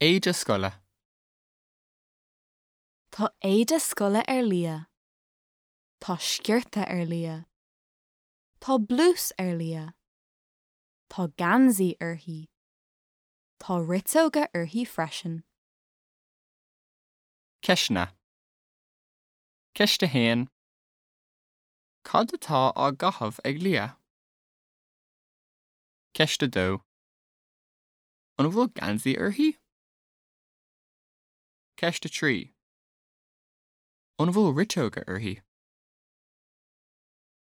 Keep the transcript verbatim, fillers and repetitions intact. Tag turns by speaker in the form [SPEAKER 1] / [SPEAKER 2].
[SPEAKER 1] Éide scoile.
[SPEAKER 2] Tá éide scoile ar Lia. Tá sciorta ar Lia. Tá blús ar Lia. Tá geansaí uirthi. Tá riteoga uirthi freisin.
[SPEAKER 1] Ceisteanna. Ceist a haon. Cad atá á gcaitheamh ag Lia? Ceist a dó. An bhfuil geansaí uirthi? Ceist a trí. An bhfuil riteoga uirthi?